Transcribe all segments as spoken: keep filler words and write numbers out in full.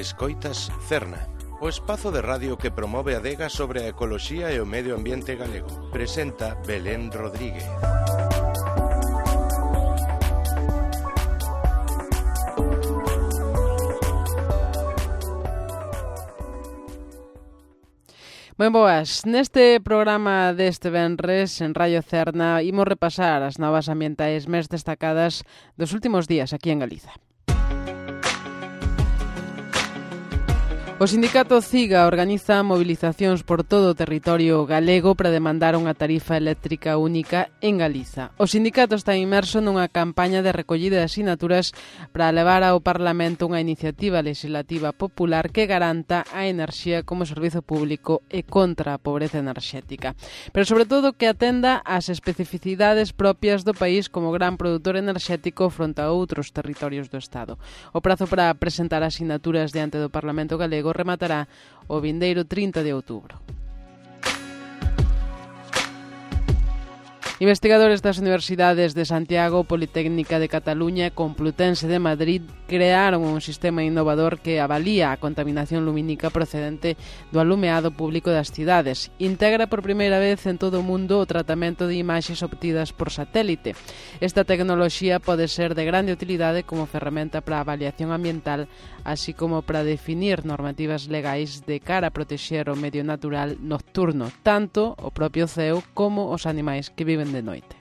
Escoitas Cerna, o espazo de radio que promove a adega sobre a ecoloxía e o medio ambiente galego. Presenta Belén Rodríguez. Moi boas, neste programa deste venres en Radio Cerna imos repasar as novas ambientais máis destacadas dos últimos días aquí en Galiza. O sindicato CIGA organiza movilizacións por todo o territorio galego para demandar unha tarifa eléctrica única en Galiza. O sindicato está inmerso nunha campaña de recollida de asinaturas para levar ao Parlamento unha iniciativa legislativa popular que garanta a enerxía como servizo público e contra a pobreza enerxética. Pero sobre todo que atenda ás especificidades propias do país como gran produtor enerxético fronte a outros territorios do Estado. O prazo para presentar asinaturas diante do Parlamento galego rematará o vindeiro trinta de outubro. Investigadores das Universidades de Santiago, Politécnica de Cataluña e Complutense de Madrid crearon un sistema innovador que avalía a contaminación lumínica procedente do alumeado público das cidades. Integra por primeira vez en todo o mundo o tratamento de imaxes obtidas por satélite. Esta tecnoloxía pode ser de grande utilidade como ferramenta para a avaliación ambiental, así como para definir normativas legais de cara a protexer o medio natural nocturno, tanto o propio ceo como os animais que viven de noite.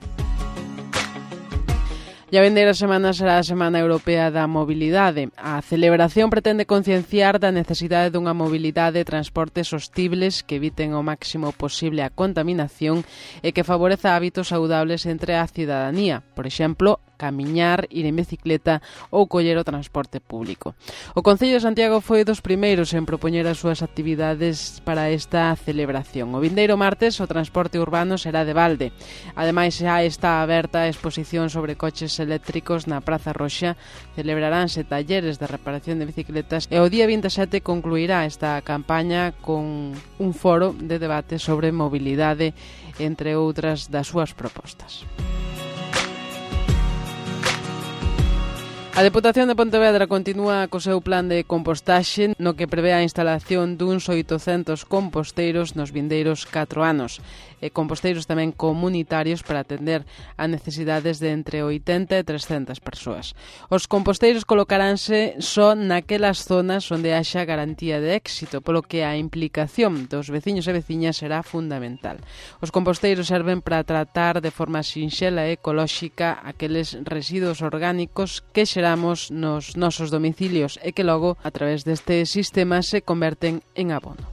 E a vindeira semana será a Semana Europea da Mobilidade. A celebración pretende concienciar da necesidade dunha mobilidade e transportes sostibles que eviten o máximo posible a contaminación e que favoreza hábitos saudables entre a cidadanía, por exemplo, camiñar, ir en bicicleta ou coller o transporte público. O Concello de Santiago foi dos primeiros en propoñer as súas actividades para esta celebración. O vindeiro martes o transporte urbano será de balde. Ademais, xa está aberta a exposición sobre coches eléctricos na Praza Roxa, celebraránse talleres de reparación de bicicletas e o día vinte e sete concluirá esta campaña con un foro de debate sobre mobilidade, entre outras das súas propostas. A Deputación de Pontevedra continúa co seu plan de compostaxe no que prevé a instalación duns oitocentos composteiros nos vindeiros catro anos e composteiros tamén comunitarios para atender a necesidades de entre oitenta e trescentas persoas. Os composteiros colocaránse só naquelas zonas onde haxa garantía de éxito, polo que a implicación dos veciños e veciñas será fundamental. Os composteiros serven para tratar de forma sinxela e ecolóxica aqueles residuos orgánicos que xeramos nos nosos domicilios e que logo, a través deste sistema, se converten en abono.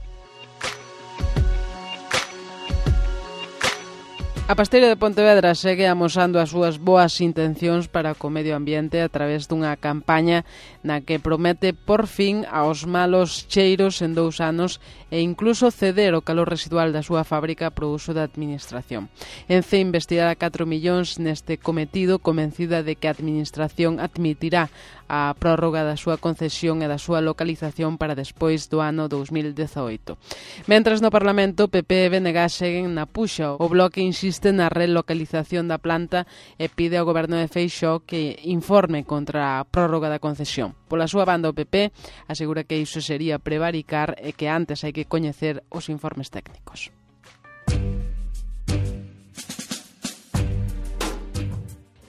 A Pasteira de Pontevedra segue amosando as súas boas intencións para co medio ambiente a través dunha campaña na que promete por fin aos malos cheiros en dous anos e incluso ceder o calor residual da súa fábrica para o uso da administración. Ence investirá catro millóns neste cometido, convencida de que a administración admitirá a prórroga da súa concesión e da súa localización para despois do ano dous mil dezaoito. Mentres no Parlamento, P P e B N G seguen na puxa. O Bloque insiste na relocalización da planta e pide ao Goberno de Feixóo que informe contra a prórroga da concesión. Pola súa banda, o P P asegura que iso sería prevaricar e que antes hai que coñecer os informes técnicos.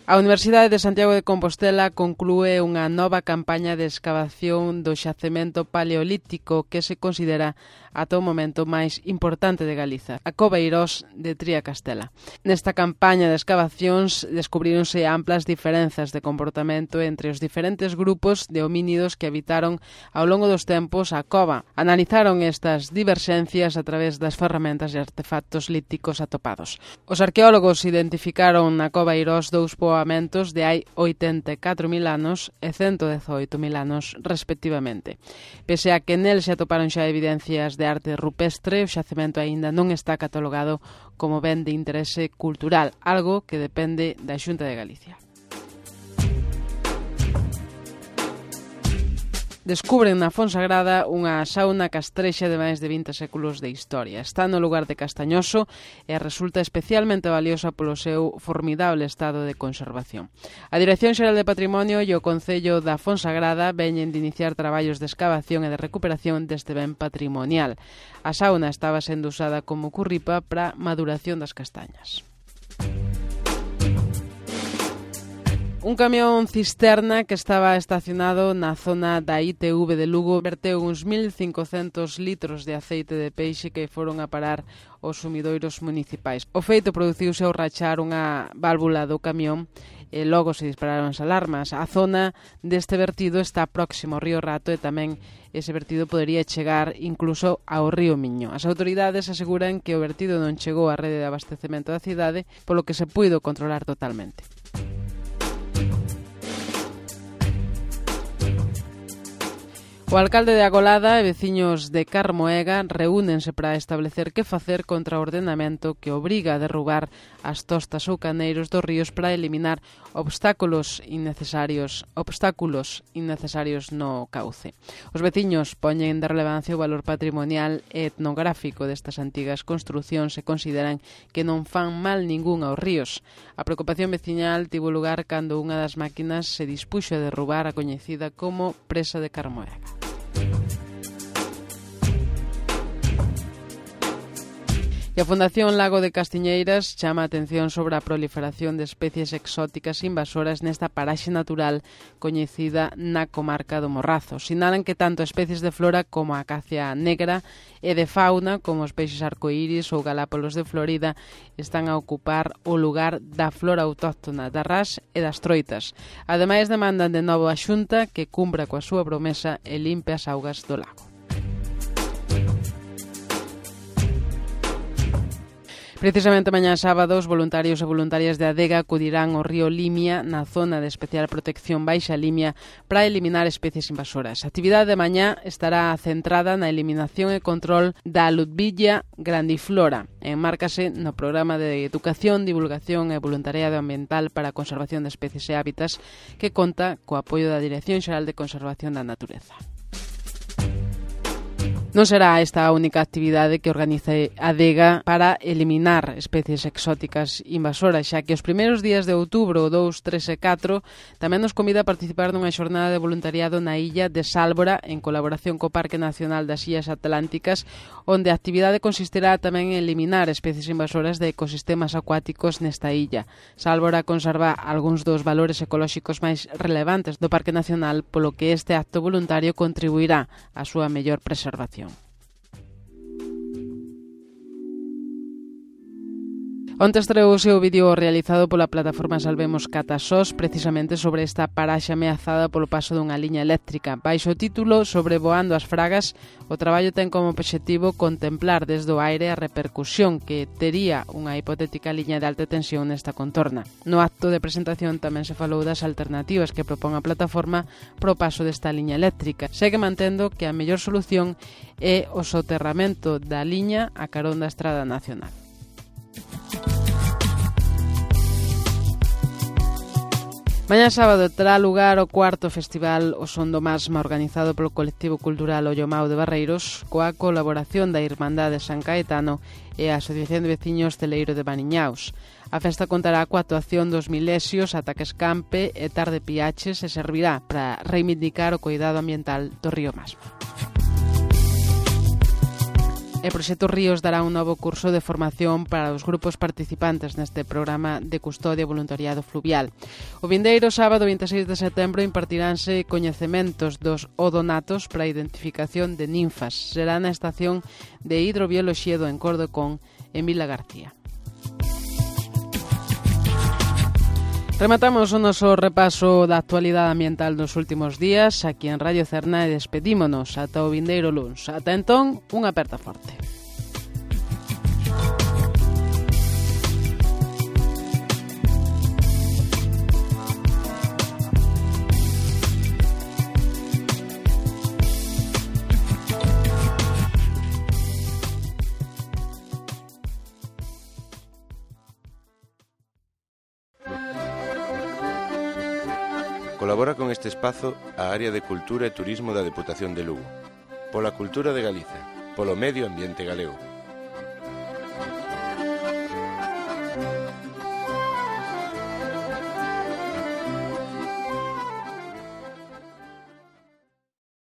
A Universidade de Santiago de Compostela conclúe unha nova campaña de escavación do xacemento paleolítico que se considera ata o momento máis importante de Galiza, a Cova Eirós de Triacastela. Nesta campaña de escavacións descubríronse amplas diferenzas de comportamento entre os diferentes grupos de homínidos que habitaron ao longo dos tempos a cova. Analizaron estas diverxencias a través das ferramentas e artefactos líticos atopados. Os arqueólogos identificaron na Cova Eirós dous poboamentos de hai oitenta e catro mil anos e cento dezaoito mil anos, respectivamente. Pese a que nel se atoparon xa evidencias de arte rupestre, o xacemento aínda non está catalogado como ben de interese cultural, algo que depende da Xunta de Galicia. Descubren na Fonsagrada unha sauna castrexa de máis de vinte séculos de historia. Está no lugar de Castañoso e resulta especialmente valiosa polo seu formidable estado de conservación. A Dirección Xeral de Patrimonio e o Concello da Fonsagrada veñen de iniciar traballos de excavación e de recuperación deste ben patrimonial. A sauna estaba sendo usada como curripa para maduración das castañas. Un camión cisterna que estaba estacionado na zona da I T V de Lugo verteu uns mil cincocentos litros de aceite de peixe que foron a parar aos sumidoiros municipais. O feito produciuse ao rachar unha válvula do camión e logo se dispararon as alarmas. A zona deste vertido está próximo ao río Rato e tamén ese vertido podería chegar incluso ao río Miño. As autoridades aseguran que o vertido non chegou á rede de abastecemento da cidade, polo que se puido controlar totalmente. O alcalde de Agolada e veciños de Carmoega reúnense para establecer que facer contra o ordenamento que obriga a derrubar as tostas ou caneiros dos ríos para eliminar obstáculos innecesarios, obstáculos innecesarios no cauce. Os veciños poñen de relevancia o valor patrimonial e etnográfico destas antigas construcións e consideran que non fan mal ningún aos ríos. A preocupación veciñal tivo lugar cando unha das máquinas se dispuxo a derrubar a coñecida como Presa de Carmoega. E a Fundación Lago de Castiñeiras chama a atención sobre a proliferación de especies exóticas invasoras nesta paraxe natural coñecida na comarca do Morrazo. Sinalan que tanto especies de flora como a acacia negra e de fauna, como os peixes arcoíris ou galápagos de Florida, están a ocupar o lugar da flora autóctona da ras e das troitas. Ademais, demandan de novo a Xunta que cumpra coa súa promesa e limpe as augas do lago. Precisamente mañá sábado, os voluntarios e voluntarias de Adega acudirán ao río Limia na zona de especial protección Baixa Limia para eliminar especies invasoras. A actividade de mañá estará centrada na eliminación e control da Ludwiggia grandiflora. Enmárcase no programa de educación, divulgación e voluntariado ambiental para a conservación de especies e hábitats que conta co apoio da Dirección Xeral de Conservación da Natureza. Non será esta a única actividade que organice Adega para eliminar especies exóticas invasoras, xa que os primeiros días de outubro, dous, tres e catro, tamén nos convida a participar nunha xornada de voluntariado na illa de Sálvora, en colaboración co Parque Nacional das Illas Atlánticas, onde a actividade consistirá tamén en eliminar especies invasoras de ecosistemas acuáticos nesta illa. Sálvora conserva algúns dos valores ecolóxicos máis relevantes do Parque Nacional, polo que este acto voluntario contribuirá á súa mellor preservación. Onte estreouse o vídeo realizado pola plataforma Salvemos Catasós precisamente sobre esta paraxe ameazada polo paso dunha liña eléctrica. Baixo o título Sobrevoando as Fragas, o traballo ten como obxectivo contemplar desde o aire a repercusión que tería unha hipotética liña de alta tensión nesta contorna. No acto de presentación tamén se falou das alternativas que propón a plataforma pro paso desta liña eléctrica. Segue mantendo que a mellor solución é o soterramento da liña a carón da Estrada Nacional. Mañá sábado terá lugar o cuarto festival O Son do Masma, organizado polo colectivo cultural Ollomao de Barreiros, coa colaboración da Irmandade San Caetano e a Asociación de Veciños Celeiro de Maniñaos. A festa contará coa actuación dos Milesios, Ataques Campe e Tarde Piaches e servirá para reivindicar o cuidado ambiental do río Masma. E Proxecto Ríos dará un novo curso de formación para os grupos participantes neste programa de custodia e voluntariado fluvial. O vindeiro sábado vinte e seis de setembro impartiránse coñecementos dos odonatos para a identificación de ninfas. Será na estación de hidrobioloxía do Encordo con en Vila García. Rematamos o noso repaso da actualidade ambiental dos últimos días aquí en Radio Cerna e despedímonos ata o vindeiro luns. Ata entón, unha aperta forte. Colabora con este espazo a área de Cultura e Turismo da Deputación de Lugo. Pola cultura de Galiza, polo medio ambiente galego.